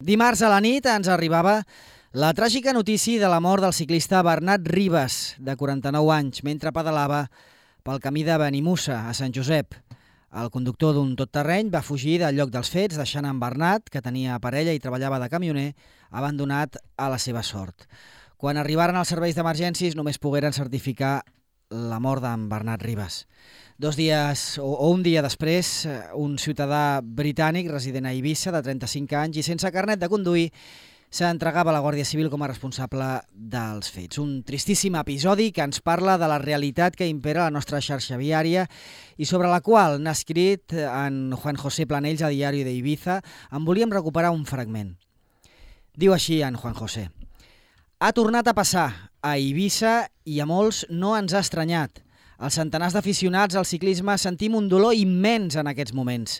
Dimarts a la nit ens arribava la tràgica notícia de la mort del ciclista Bernat Ribas, de 49 anys, mentre pedalava pel camí de Benimussa, a Sant Josep. El conductor d'un tot-terreny va fugir del lloc dels fets, deixant en Bernat, que tenia parella i treballava de camioner, abandonat a la seva sort. Quan arribaren els serveis d'emergències només pogueren certificar la mort d'en Bernat Ribas. 2 dies o un dia després, un ciutadà britànic resident a Eivissa de 35 anys i sense carnet de conduir s'entregava a la Guàrdia Civil com a responsable dels fets. Un tristíssim episodi que ens parla de la realitat que impera a la nostra xarxa viària i sobre la qual n'ha escrit en Juan José Planells a Diari de Ibiza. En volíem recuperar un fragment. Diu així en Juan José: ha tornat a passar a Eivissa i a molts no ens ha estranyat. Els centenars d'aficionats al ciclisme sentim un dolor immens en aquests moments.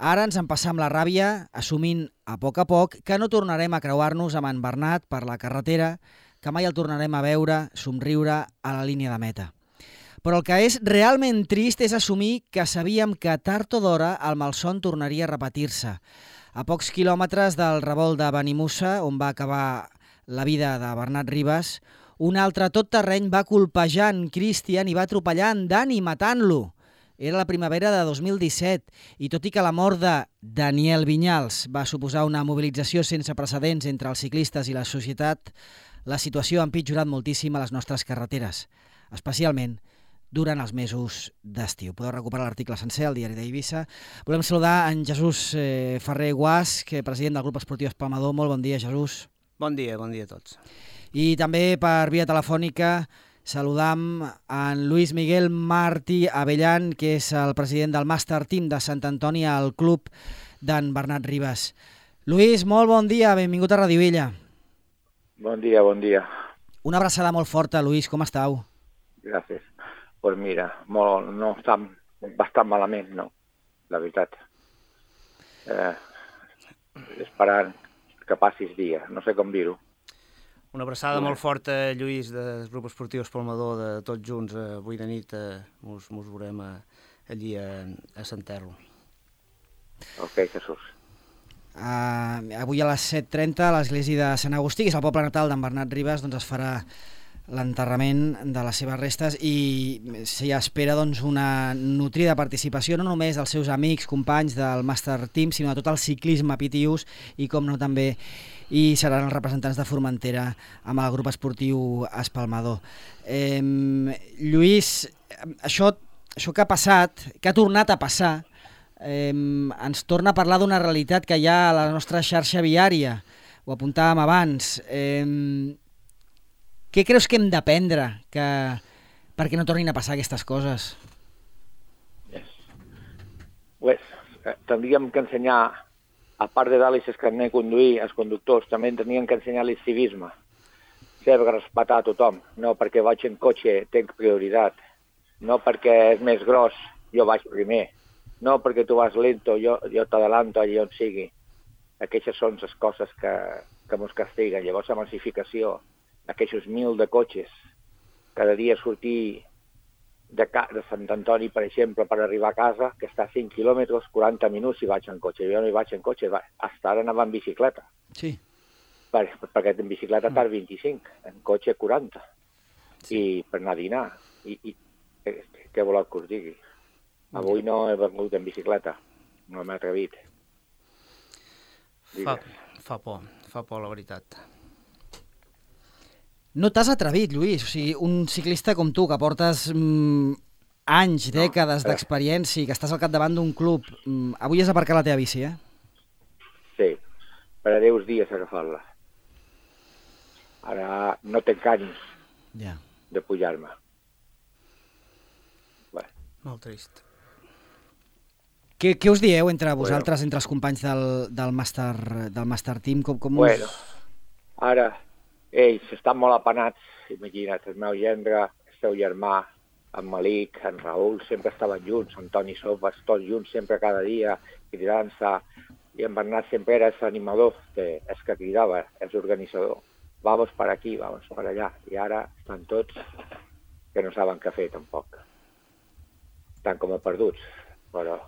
Ara ens en passam la ràbia, assumint a poc que no tornarem a creuar-nos amb en Bernat per la carretera, que mai el tornarem a veure, somriure a la línia de meta. Però el que és realment trist és assumir que sabíem que tard o d'hora el malson tornaria a repetir-se. A pocs quilòmetres del revolt de Benimussa, on va acabar la vida de Bernat Ribas, un altre tot-terreny va colpejar en Christian i va atropellar en Dani, matant-lo. Era la primavera de 2017 i tot i que la mort de Daniel Vinyals va suposar una mobilització sense precedents entre els ciclistes i la societat, la situació ha empitjorat moltíssim a les nostres carreteres, especialment durant els mesos d'estiu. Podeu recuperar l'article sencer al Diari d'Eivissa. Volem saludar en Jesús Ferrer Guasch, president del grup esportiu Espalmador. Molt bon dia, Jesús. Bon dia a tots. I també per via telefònica saludam en Luis Miguel Martí Avellán, que és el president del Master Team de Sant Antoni al club d'en Bernat Ribas. Luis, molt bon dia, benvingut a Radio Illa. Bon dia. Una abraçada molt forta, Luis, com estàu? Gràcies. Pues mira, no estem bastant malament, no, la veritat. Esperant que passis dia, no sé com dir-ho. Una abraçada molt forta, Lluís, del grup esportiu Espalmador, de tots junts. Avui de nit mos veurem allí a Sant Terro. Ok, Jesús. Avui a les 7:30 a l'església de Sant Agustí, que és el poble natal d'en Bernat Ribas, doncs es farà l'enterrament de les seves restes i s'hi espera doncs, una nutrida participació no només dels seus amics, companys del Master Team, sinó de tot el ciclisme Pitius i, com no, també i seran els representants de Formentera amb el grup esportiu Espalmador. Lluís, això que ha passat, que ha tornat a passar, ens torna a parlar d'una realitat que hi ha a la nostra xarxa viària. Ho apuntàvem abans. Què creus que hem d'aprendre perquè no tornin a passar aquestes coses? Pues, tindríem que ensenyar, a part de dar-los el carnet de conduir, els conductors també tenien que ensenyar-los civisme, saber respectar a tothom, no perquè vaig en cotxe tenc prioritat, no perquè és més gros jo vaig primer, no perquè tu vas lento jo t'adelanto allà on sigui. Aquestes són les coses que mos castiguen. Llavors la massificació, aquests 1.000 de cotxes, cada dia sortir de Sant Antoni, per exemple, per arribar a casa, que està a 5 quilòmetres, 40 minuts si vaig en cotxe. Jo no hi vaig en cotxe, fins ara anava en bicicleta. Sí. Perquè en bicicleta tard 25, en cotxe 40. Sí. I per anar a dinar. I què voleu que us digui? Avui no he vengut en bicicleta, no m'he atrevit. Fa por, la veritat. No t'has atrevit, Lluís. O sigui, un ciclista com tu, que portes anys, dècades d'experiència i que estàs al capdavant d'un club, avui has aparcat la teva bici, eh? Sí, per a 10 dies agafar-la. Ara no tenc ànims de pujar-me. Molt trist. Què us dieu entre vosaltres, entre els companys del Master Team? Bueno, ara ells estan molt apanats, imagina't, el meu gendre, el seu germà, en Malik, en Raül, sempre estaven junts, Antoni Sofas, tots junts, sempre cada dia, cridant-se, i en Bernat sempre era l'animador, el que cridava, el organitzador. Vamos per aquí, vamos per allà, i ara estan tots que no saben què fer, tampoc. Estan com a perduts, però,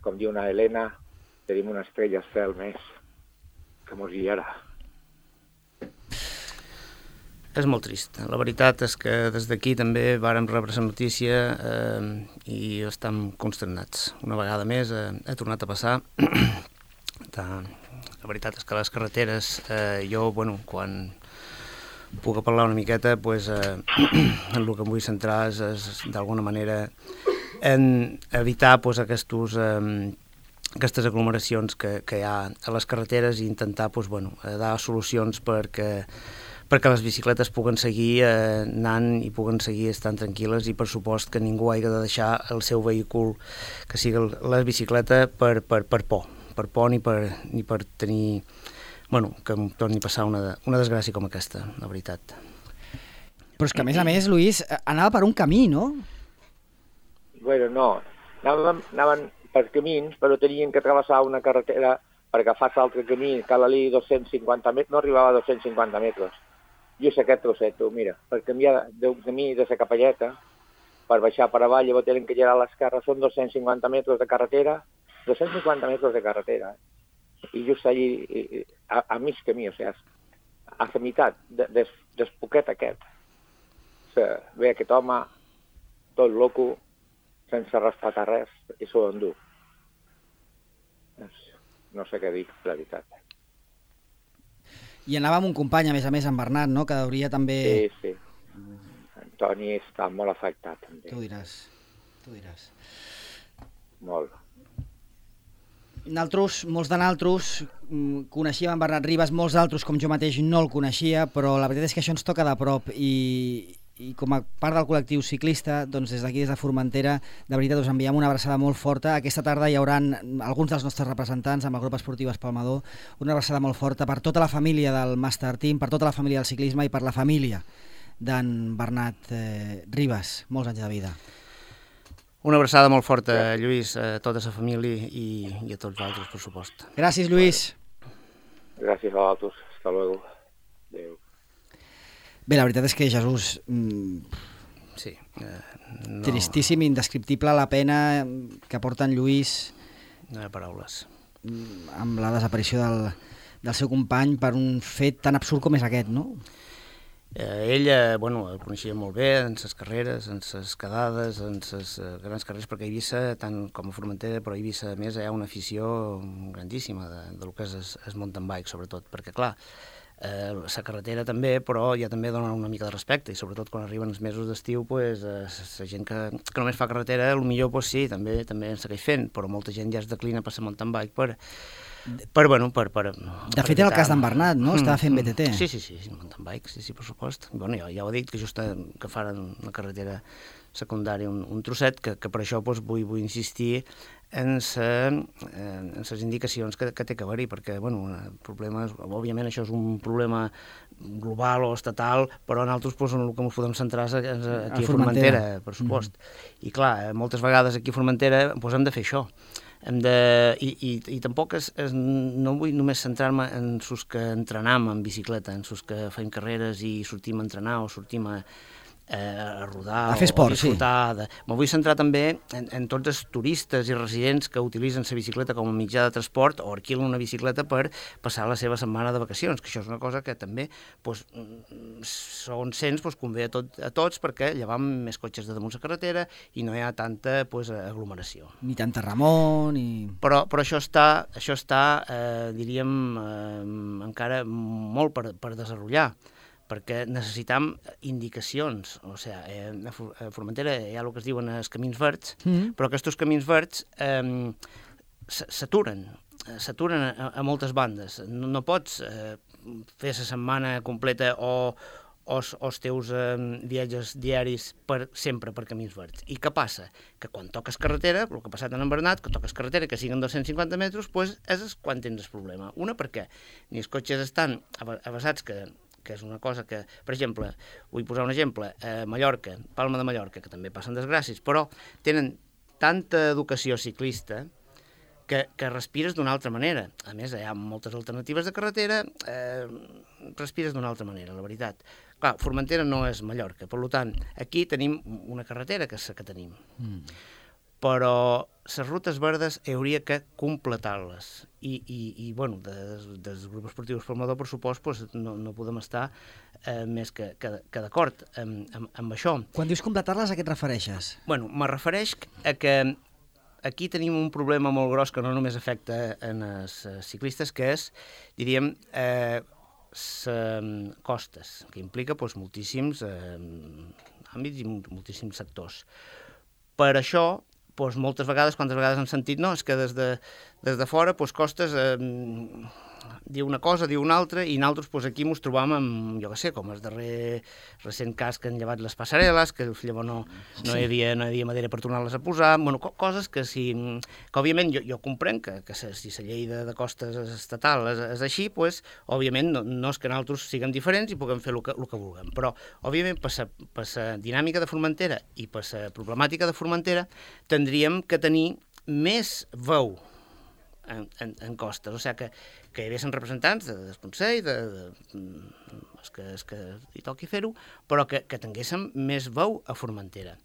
com diu una Helena, tenim una estrella al cel més que mos guiarà. És molt trist. La veritat és que des d'aquí també vàrem rebre la notícia i estem consternats. Una vegada més ha tornat a passar. La veritat és que les carreteres, jo, quan puc parlar una miqueta, en el que em vull centrar és d'alguna manera en evitar aquestes aglomeracions que hi ha a les carreteres i intentar dar solucions perquè les bicicletes puguen seguir anant i puguen seguir estant tranquil·les i per supost que ningú hagi de deixar el seu vehícul, que sigui la bicicleta, per por ni per tenir que em torni a passar una desgràcia com aquesta, la veritat. Però és que a més, Lluís, anava per un camí, no? Bueno, no, anaven per camins, però tenien que travessar una carretera per agafar l'altre camí, cal ali 250 metres, no arribava a 250 metres. Jo sé aquest trosset, mira, per canviar d'un camí de la capelleta, per baixar per avall, llavors tenen que girar a l'esquerra, són 250 metres de carretera, 250 metres de carretera, i just allí, a mig camí, o sigui, a la meitat del poquet aquest. Ve aquest home, tot loco, sense respetar res, i s'ho endú. No sé què dir, la veritat. I anava amb un company, a més, en Bernat, no?, que hauria també... Sí. Antoni està molt afectat, també. Tu diràs. Molt. Molts de naltros coneixíem en Bernat Ribas, molts d'altres, com jo mateix, no el coneixia, però la veritat és que això ens toca de prop i com a part del col·lectiu ciclista, doncs des d'aquí, des de Formentera, de veritat us enviem una abraçada molt forta. Aquesta tarda hi haurà alguns dels nostres representants amb el grup esportiu Espalmador, una abraçada molt forta per tota la família del Master Team, per tota la família del ciclisme i per la família d'en Bernat Ribas. Molts anys de vida. Una abraçada molt forta, Lluís, a tota la família i a tots vosaltres, per supost. Gràcies, Lluís. Gràcies a vosaltres. Hasta luego. Adéu. Bé, la veritat és que Jesús... Sí. Tristíssim, indescriptible la pena que porta en Lluís... No hi ha paraules. Amb la desaparició del seu company per un fet tan absurd com és aquest, no? Ell, el coneixia molt bé en les carreres, en les quedades, en les grans carreres, perquè a Eivissa, tant com a Formentera, però a Eivissa, a més, hi ha una afició grandíssima del que és el mountain bike, sobretot, perquè, clar, la carretera també, però ja també dona una mica de respecte, i sobretot quan arriben els mesos d'estiu, la gent que només fa carretera, potser sí, també en segueix fent, però molta gent ja es declina per la mountain bike per de fet, era el cas d'en Bernat, no? Estava fent BTT. Sí, mountain bike, sí, per supost. Ja ho he dit, que just que faran la carretera secundària un trosset, que per això vull insistir en les indicacions que té que haver-hi, perquè, problemes, òbviament això és un problema global o estatal, però nosaltres en el que ens podem centrar és aquí a Formentera, per supost. I clar, moltes vegades aquí a Formentera hem de fer això. I tampoc no vull només centrar-me en els que entrenam en bicicleta, en els que fem carreres i sortim a entrenar o sortim a rodar, a fer esport, o disfrutar. Me vull centrar també en tots els turistes i residents que utilitzen la bicicleta com a mitjà de transport o alquilen una bicicleta per passar la seva setmana de vacacions, que això és una cosa que també, segons sents, convé a tots, perquè llevam més cotxes de damunt la carretera i no hi ha tanta aglomeració. Ni tanta remor, ni... Però això està diríem, encara molt per desenvolupar, perquè necessitam indicacions. O sigui, a Formentera hi ha el que es diuen els camins verds, però aquests camins verds s'aturen a moltes bandes. No pots fer la setmana completa o els teus viatges diaris sempre per camins verds. I què passa? Que quan toques carretera, el que ha passat en Bernat, que toques carretera, que siguin 250 metres, és quan tens el problema. Una, perquè ni els cotxes estan avasats, que és una cosa que, per exemple, vull posar un exemple, Mallorca, Palma de Mallorca, que també passen desgràcies, però tenen tanta educació ciclista que respires d'una altra manera. A més, hi ha moltes alternatives de carretera, respires d'una altra manera, la veritat. Clar, Formentera no és Mallorca, per tant, aquí tenim una carretera que és la que tenim. però les rutes verdes hauria que completar-les. I bueno, dels grups esportius Formador, per supost, no podem estar més que d'acord amb això. Quan dius completar-les, a què et refereixes? Bueno, me refereix a que aquí tenim un problema molt gros que no només afecta en els ciclistes, que és, diríem, costes, que implica moltíssims àmbits i moltíssims sectors. Per això, moltes vegades, quantes vegades hem sentit, no, és que des de fora costes diu una cosa, diu una altra, i nosaltres aquí ens trobam amb, jo què sé, com el darrer recent cas que han llevat les passarel·les, que llavors no hi havia manera per tornar-les a posar, bueno, coses que òbviament jo comprenc que si la llei de costes estatal és així, òbviament no és que nosaltres siguem diferents i puguem fer el que vulguem, però òbviament per la dinàmica de Formentera i per la problemàtica de Formentera tindríem que tenir més veu en costes, o sigui que hi haguessin representants del Consell, els que hi toqui fer-ho, però que tinguéssim més veu a Formentera.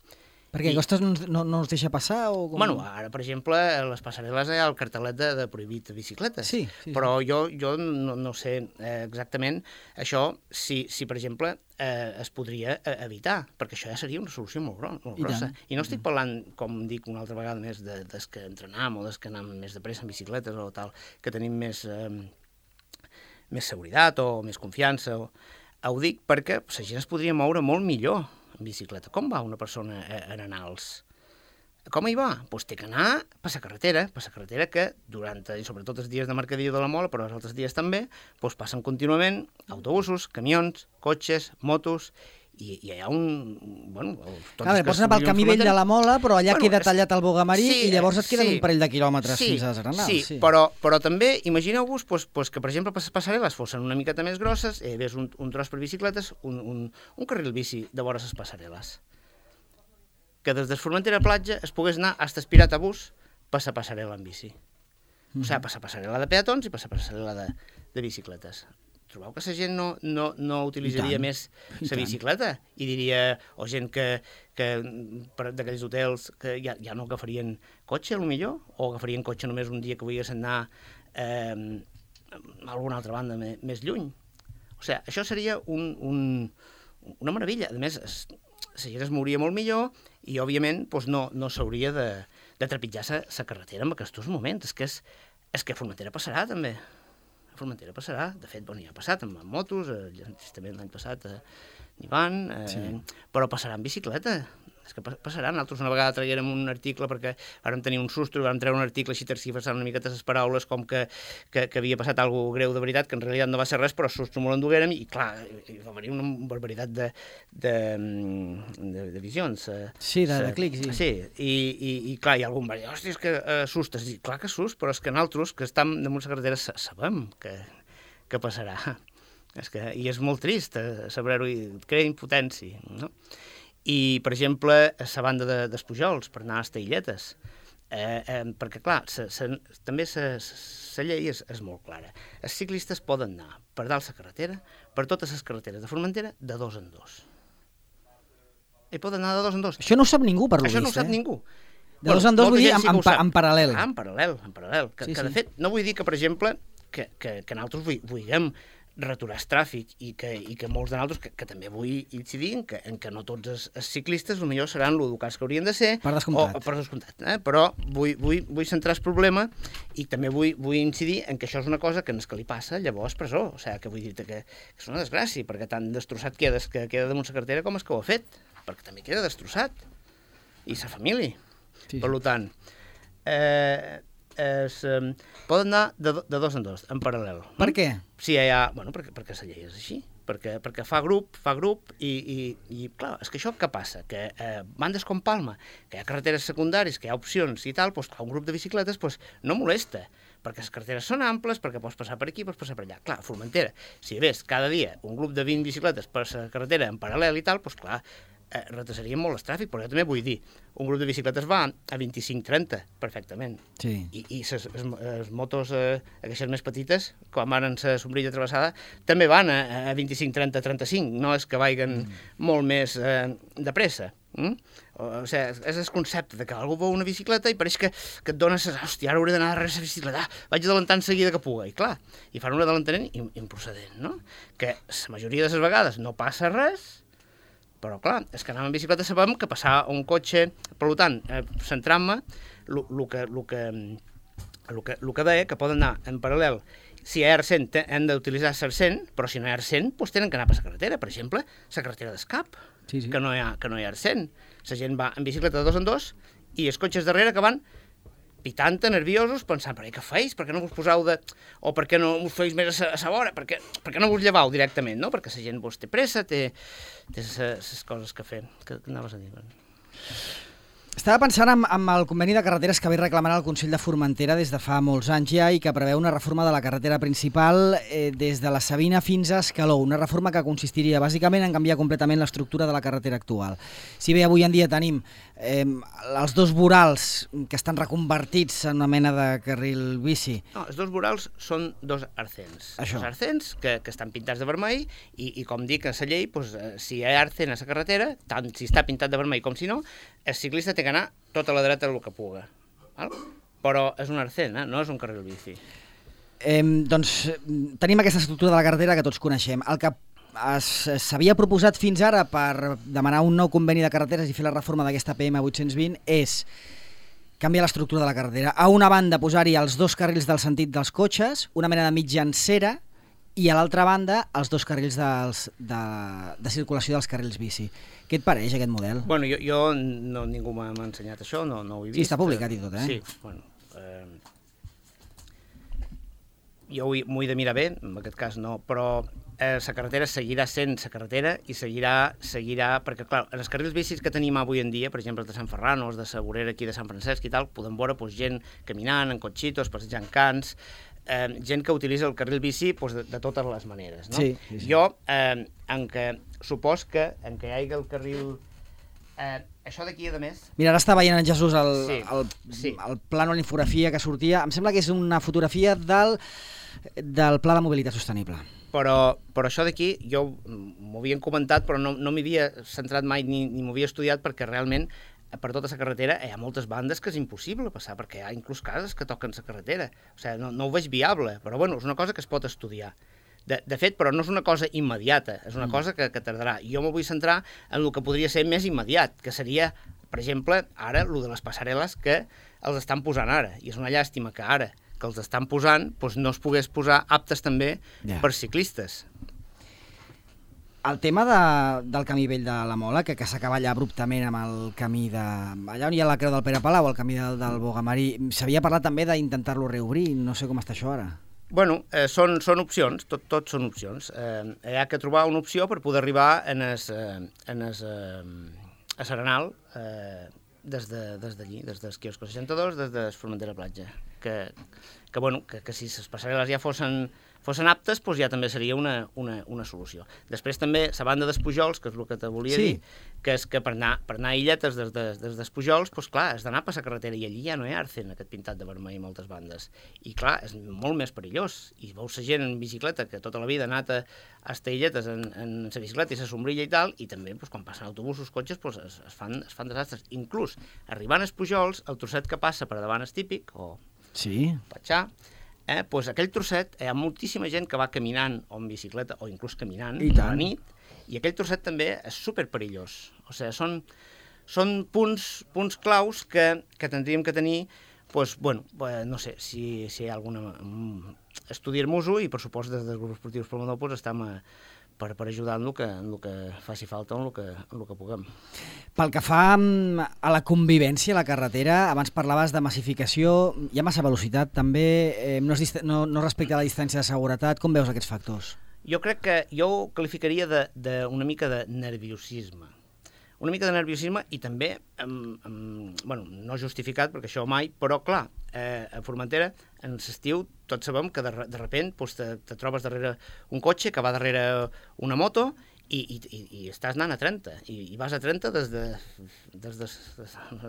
Perquè Costes no ens deixa passar? O com... Bueno, ara, per exemple, a les passarel·les hi ha el cartelet de prohibit de bicicletes, sí. Però jo no sé exactament això, si per exemple, es podria evitar, perquè això ja seria una solució molt grossa. I no estic parlant, com dic una altra vegada més, des que entrenam o des que anem més de pressa en bicicletes o tal, que tenim més seguretat o més confiança. Ho dic perquè la gent es podria moure molt millor en bicicleta. Com va una persona a Renals? Com hi va? Doncs té que anar per la carretera que durant, i sobretot els dies de mercadillo de la Mola, però els altres dies també, passen contínuament autobusos, camions, cotxes, motos, i hi ha un... Bueno, clar, pots anar pel camí vell de la Mola, però allà queda tallat el Bogamarí i llavors et queden un parell de quilòmetres fins a Renals. Sí, però també imagineu-vos que, per exemple, les passarel·les fossin una miqueta més grosses, hi hagués un tros per bicicletes, un carril bici de vora les passarel·les. Que des de Formentera a Platja es pogués anar fins a Espirat-a-Bus per la passarel·la en bici. O sigui, per la passarel·la de peatons i per la passarel·la de bicicletes. Trobeu que la gent no utilitzaria més la bicicleta? I diria, o gent que d'aquells hotels que ja no agafarien cotxe, potser, o agafarien cotxe només un dia que volguessin anar a alguna altra banda més lluny. O sigui, això seria una meravella. A més, la gent es mouria molt millor i, òbviament, no s'hauria de trepitjar la carretera en aquests moments. És que a Formentera passarà, també. A Formentera passarà. De fet, ja ha passat amb motos, justament l'any passat n'hi van, però passarà en bicicleta. És que passarà. Nosaltres una vegada traguérem un article perquè vam tenir un susto i vam treure un article així tergiversant una miqueta les paraules com que havia passat alguna cosa greu de veritat, que en realitat no va ser res, però susto molt enduguérem i, clar, va venir una barbaritat de visions. Sí, de clics. Sí, i clar, hi ha algun va dir, hòstia, és que assustes. I clar que assust, però és que nosaltres, que estem damunt la carretera, sabem que passarà. I és molt trist saber-ho i crea impotència, no? I, per exemple, a la banda dels Pujols, per anar a les Tailletes, perquè, clar, també la llei és molt clara. Els ciclistes poden anar per dalt la carretera, per totes les carreteres de Formentera, de 2 en 2. I poden anar de 2 en 2. Això no ho sap ningú, per lo vist. Això no ho sap ningú. De 2 en 2 vull dir en paral·lel. En paral·lel. Que, de fet, no vull dir que, per exemple, que nosaltres vulguem raturar el tràfic i que molts de nosaltres, que també vull incidir en que no tots els ciclistes potser seran l'educats que haurien de ser. Per descomptat. Però vull centrar el problema i també vull incidir en que això és una cosa que no és que li passa llavors presó. O sigui, que vull dir-te que és una desgràcia, perquè tan destrossat que queda damunt la carretera com és que ho ha fet, perquè també queda destrossat. I sa família. Sí. Per tant, poden anar de 2 en 2, en paral·lel. Per què? Sí, bueno, perquè la llei és així, perquè fa grup i clar, és que això què passa? Que bandes com Palma, que hi ha carreteres secundàries, que hi ha opcions i tal, doncs un grup de bicicletes no molesta, perquè les carreteres són amples, perquè pots passar per aquí, pots passar per allà. Clar, a Formentera, si hi hagués cada dia un grup de 20 bicicletes per la carretera en paral·lel i tal, doncs clar, retrasarien molt el tràfic, però jo també vull dir, un grup de bicicletes va a 25-30, perfectament. Sí. I les motos, aquestes més petites, com ara en la sombrilla travessada, també van a 25-30-35, no és que vagin molt més de pressa. O sigui, és el concepte que algú veu una bicicleta i pareix que et dona... Hòstia, ara hauré d'anar darrere la bicicleta, vaig adelantant seguida que puga. I clar, i fan un adelantament improcedent, no? Que la majoria de les vegades no passa res, però clar, és que anant amb bicicleta sabem que passar un cotxe... Per tant, centrant-me, el que deia, que poden anar en paral·lel. Si hi ha R100, hem d'utilitzar R100, però si no hi ha R100, doncs tenen que anar per la carretera. Per exemple, la carretera d'escap, sí. que no hi ha R100. La gent va en bicicleta de 2 en 2 i els cotxes darrere que van pitant, nerviosos, pensant, però què feis? Per què no vos poseu de... O per què no us feis més a la vora? Per què no vos llevau directament, no? Perquè la gent vos té pressa, té les coses que fer. Què anaves a dir? Estava pensant en el conveni de carreteres que ve reclamant el Consell de Formentera des de fa molts anys ja i que preveu una reforma de la carretera principal des de la Sabina fins a Escaló, una reforma que consistiria bàsicament en canviar completament l'estructura de la carretera actual. Si bé avui en dia tenim els dos vorals que estan reconvertits en una mena de carril bici... No, els dos vorals són dos arcens. Això. Dos arcens que estan pintats de vermell i com dic a la llei, doncs, si hi ha arcen a la carretera, tant si està pintat de vermell com si no, el ciclista té que anar tota la dreta el que puga. Val? Però és un arcén, no és un carril bici. Doncs tenim aquesta estructura de la carretera que tots coneixem. El que s'havia proposat fins ara per demanar un nou conveni de carreteres i fer la reforma d'aquesta PM 820 és canviar l'estructura de la carretera. A una banda posar-hi els dos carrils del sentit dels cotxes, una mena de mitjancera, i a l'altra banda els dos carrils de circulació dels carrils bici. Què et pareix aquest model? Bueno, jo no, ningú m'ha ensenyat això, no ho he vist. Sí, està publicat i tot, Sí, bueno, jo m'ho he de mirar bé, en aquest cas no, però la carretera seguirà sent la carretera i seguirà, perquè clar, en els carrils bicis que tenim avui en dia, per exemple, de Sant Ferran o els de la vorera aquí de Sant Francesc i tal, podem veure gent caminant, en cotxitos, passejant cans, gent que utilitza el carril bici de totes les maneres, no? Sí. Jo, supos que en què hi hagi el carril... això d'aquí, a més... Mira, ara està veient en Jesús Sí. el plànol, la infografia que sortia. Em sembla que és una fotografia del Pla de Mobilitat Sostenible. Però això d'aquí, jo m'ho havien comentat, però no m'hi havia centrat mai ni m'ho havia estudiat, perquè realment per tota la carretera hi ha moltes bandes que és impossible passar, perquè hi ha inclús cases que toquen la carretera. O sigui, no ho veig viable, però bueno, és una cosa que es pot estudiar. De fet, però no és una cosa immediata, és una cosa que tardarà. Jo m'ho vull centrar en el que podria ser més immediat, que seria, per exemple, ara, el de les passarel·les que els estan posant ara. I és una llàstima que ara que els estan posant, doncs no es pogués posar aptes també per ciclistes. El tema del camí vell de la Mola, que s'acaba allà abruptament amb el camí de... Allà on hi ha la creu del Pere Palau, el camí del Bogamarí, s'havia parlat també d'intentar-lo reobrir, no sé com està això ara. Bueno, són opcions, tot són opcions. Hi ha que trobar una opció per poder arribar a Serenal des d'allí, des del quiosco 62, des de Formentera Platja. Que si les passarel·les ja fossin aptes, doncs ja també seria una solució. Després també, la banda dels Pujols, que és el que te volia dir, que és que per anar a Illetes des dels Pujols, doncs clar, has d'anar per la carretera, i allí ja no hi ha arcen, aquest pintat de vermell a moltes bandes. I clar, és molt més perillós. I veus la gent en bicicleta, que tota la vida ha anat a Illetes en la bicicleta i la sombrilla i tal, i també quan passen autobusos, cotxes, es fan desastres. Inclús, arribant als Pujols, el trosset que passa per davant és típic, o Patxà, doncs aquell trosset hi ha moltíssima gent que va caminant o en bicicleta o inclús caminant a la nit, i aquell trosset també és superperillós. O sigui, són punts claus que tindríem que tenir, doncs, bueno, no sé, si hi ha alguna... estudiar-nos-ho, i per supost des dels grups esportius pel Monopos estem per ajudar en el que faci falta o en el que puguem. Pel que fa a la convivència a la carretera, abans parlaves de massificació, hi ha massa velocitat també, no respecta la distància de seguretat. Com veus aquests factors? Jo crec que jo ho qualificaria d'una mica de nerviosisme. Una mica de nerviosisme i també, bueno, no justificat, perquè això mai, però clar, a Formentera, en l'estiu, tots sabem que de repent te trobes darrere un cotxe que va darrere una moto i estàs anant a 30, i vas a 30 des de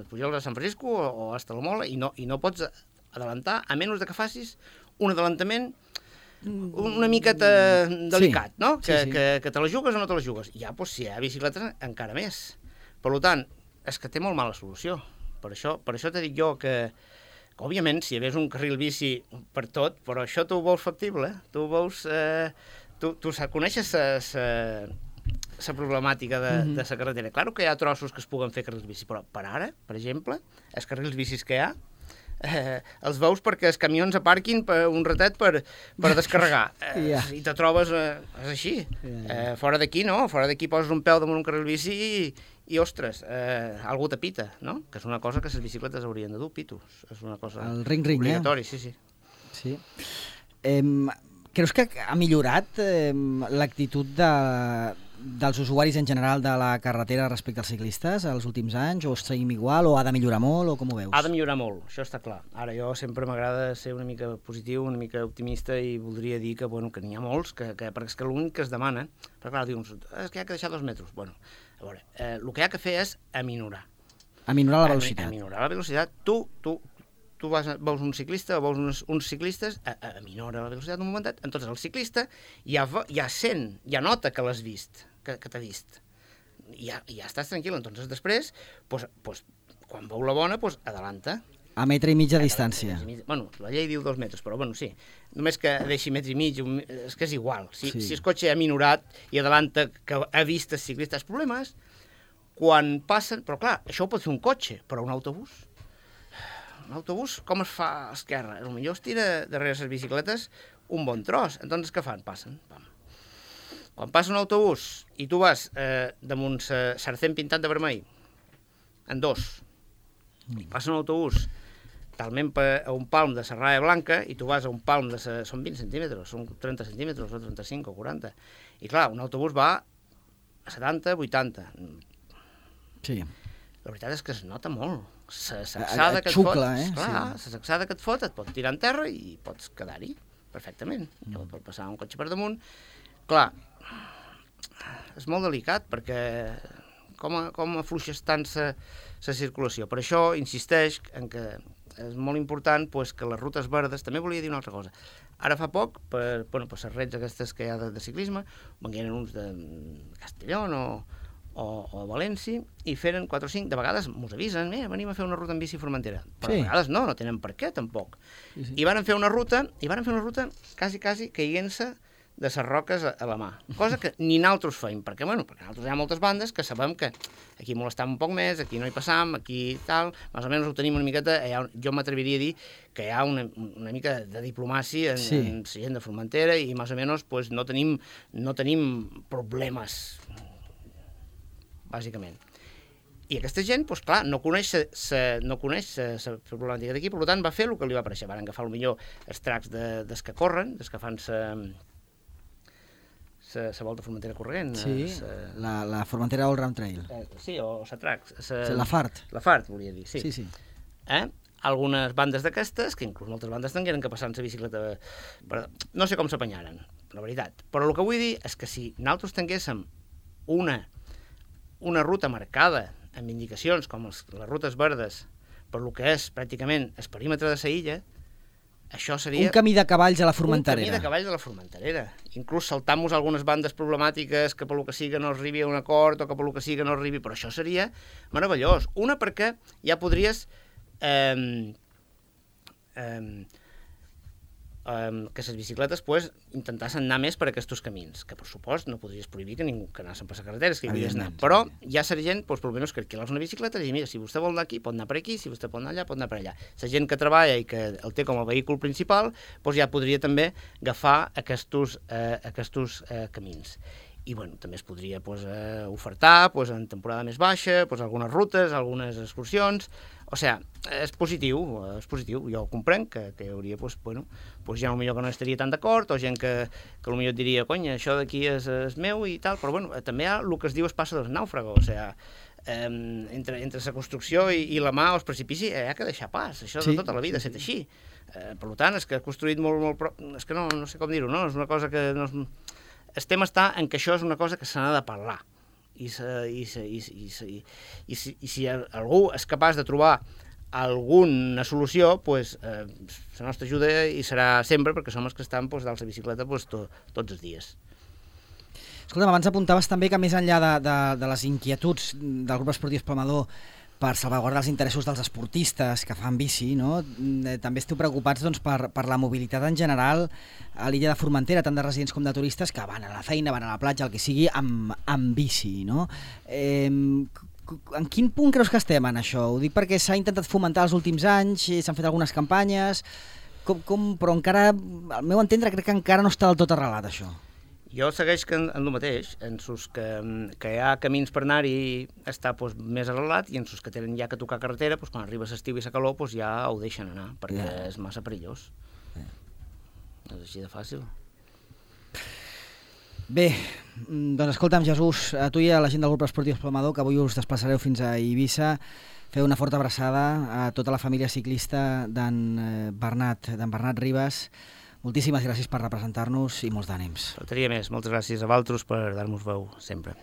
Pujols a Sant Francisco o hasta la Mola, i no pots adelantar, a menys que facis un adelantament una miqueta delicat, no? Que te la jugues o no te la jugues. Ja, doncs, si hi ha bicicletes, encara més. Per tant, és que té molt mala solució. Per això t'he dit jo que òbviament, si hi hagués un carril bici per tot, però això tu ho veus factible, tu ho veus... Tu coneixes la problemàtica de la carretera. Clar que hi ha trossos que es puguen fer carrils bici, però per ara, per exemple, els carrils bicis que hi ha, els veus perquè els camions aparquin per un ratet per descarregar. I te trobes... és així. Fora d'aquí, no? Fora d'aquí poses un peu damunt un carril bici i ostres, algú te pita, no? Que és una cosa que les bicicletes haurien de dur, pitos. És una cosa obligatori, sí. Creus que ha millorat l'actitud dels usuaris en general de la carretera respecte als ciclistes els últims anys, o seguim igual, o ha de millorar molt, o com ho veus? Ha de millorar molt, això està clar. Ara, jo sempre m'agrada ser una mica positiu, una mica optimista, i voldria dir que n'hi ha molts, perquè és que l'únic que es demana, perquè clar, dius, és que hi ha que deixar 2 metres. Bueno, a veure, el que hi ha que fer és aminorar. Aminorar la velocitat. Aminorar la velocitat. Tu veus un ciclista o veus uns ciclistes, aminora la velocitat un momentet, entonces el ciclista ja sent, ja nota que l'has vist, que t'ha vist. I ja estàs tranquil. Entonces després, quan veu la bona, adelanta. A metre i mig de distància. Bueno, la llei diu 2 metres, però bueno, sí. Només que deixi metre i mig, és que és igual. Si el cotxe ha minorat i adelanta que ha vist el ciclista, els problemes, quan passen... Però clar, això ho pot fer un cotxe, però un autobús... Un autobús, com es fa a esquerra? Potser es tira darrere les bicicletes un bon tros. Entonces, què fan? Passen. Pam. Quan passa un autobús i tu vas damunt Sarcent pintat de vermell, en 2, i passa un autobús talment a un palm de Serralla Blanca i tu vas a un palm de... Són 20 centímetres, són 30 centímetres, o 35 o 40. I clar, un autobús va a 70, 80. Sí. La veritat és que es nota molt. La sacsada que et fot, la sacsada que et fot et pot tirar en terra i pots quedar-hi perfectament. Llavors pot passar un cotxe per damunt. Clar, és molt delicat perquè com afluixes tant la circulació. Per això insisteix en que és molt important que les rutes verdes... També volia dir una altra cosa. Ara fa poc, per les rets aquestes que hi ha de ciclisme, vengueren uns de Castellón o València, i feren 4 o 5, de vegades mos avisen, venim a fer una ruta en bici a Formentera, però de vegades no tenen per què, tampoc. I van fer una ruta quasi caient-se de les roques a la mà, cosa que ni nosaltres feim, perquè nosaltres hi ha moltes bandes que sabem que aquí molestam un poc més, aquí no hi passam, aquí tal, més o menys ho tenim una miqueta, jo m'atreviria a dir que hi ha una mica de diplomàcia en la gent de Formentera i més o menys no tenim problemes, bàsicament. I aquesta gent, clar, no coneix la problemàtica d'aquí, per tant va fer el que li va aparèixer. Van agafar potser els tracks dels que corren, dels que fan la volta Formentera corrent. Sí, la Formentera All Round Trail. Sí, o la tracks. La FART. La FART, volia dir, sí. Sí. Algunes bandes d'aquestes, que inclús moltes bandes tingueren que passar en la bicicleta, no sé com s'apanyaren, la veritat. Però el que vull dir és que si nosaltres tinguéssim una ruta marcada amb indicacions com les rutes verdes per lo que és pràcticament el perímetre de la illa, això seria... Un camí de cavalls a la Formenterera. Un camí de cavalls a la Formenterera. Inclús saltant-nos algunes bandes problemàtiques que per lo que sigui no arribi a un acord o que per lo que sigui no arribi, però això seria meravellós. Una, perquè ja podries que les bicicletes intentassen anar més per aquests camins, que per supost no podries prohibir que ningú que anassin per les carreteres, que hi podies anar, però ja seria gent, per almenys que alquilar una bicicleta i dir, mira, si vostè vol anar aquí, pot anar per aquí, si vostè pot anar allà, pot anar per allà. La gent que treballa i que el té com a vehicle principal, ja podria també agafar aquests camins. I també es podria ofertar en temporada més baixa, algunes rutes, algunes excursions. O sigui, és positiu. Jo comprenc que hi hauria gent potser que no estaria tan d'acord, o gent que potser diria, conya, això d'aquí és meu i tal, però també hi ha el que es diu es passa del nàufrago, o sigui, entre la construcció i la mà o el precipici hi ha que deixar pas, això de tota la vida ha estat així. Per tant, és que ha construït molt és que no sé com dir-ho, no? És una cosa que... El tema està en que això és una cosa que se n'ha de parlar. I si algú és capaç de trobar alguna solució, la nostra ajuda hi serà sempre, perquè som els que estan dalt la bicicleta tots els dies. Escolta'm, abans apuntaves també que més enllà de les inquietuds del grup esportiu Esplumador per salvaguardar els interessos dels esportistes que fan bici, no? També esteu preocupats doncs, per la mobilitat en general a l'illa de Formentera, tant de residents com de turistes que van a la feina, van a la platja, el que sigui, amb bici, no? En quin punt creus que estem en això? Ho dic perquè s'ha intentat fomentar els últims anys, s'han fet algunes campanyes, però encara, al meu entendre, crec que encara no està del tot arrelat, això. Jo segueix en el mateix, en sus que hi ha camins per anar-hi està més arrelat i en sus que tenen ja que tocar carretera, quan arriba l'estiu i la calor ja ho deixen anar, perquè és massa perillós. És així de fàcil. Bé, doncs escolta'm, Jesús, a tu i a la gent del grup esportiu Esplumador, que avui us desplaçareu fins a Eivissa, feu una forta abraçada a tota la família ciclista d'en Bernat Ribas. Moltíssimes gràcies per representar-nos i molts d'ànims. Faltaria més. Moltes gràcies a vosaltres per dar-nos veu sempre.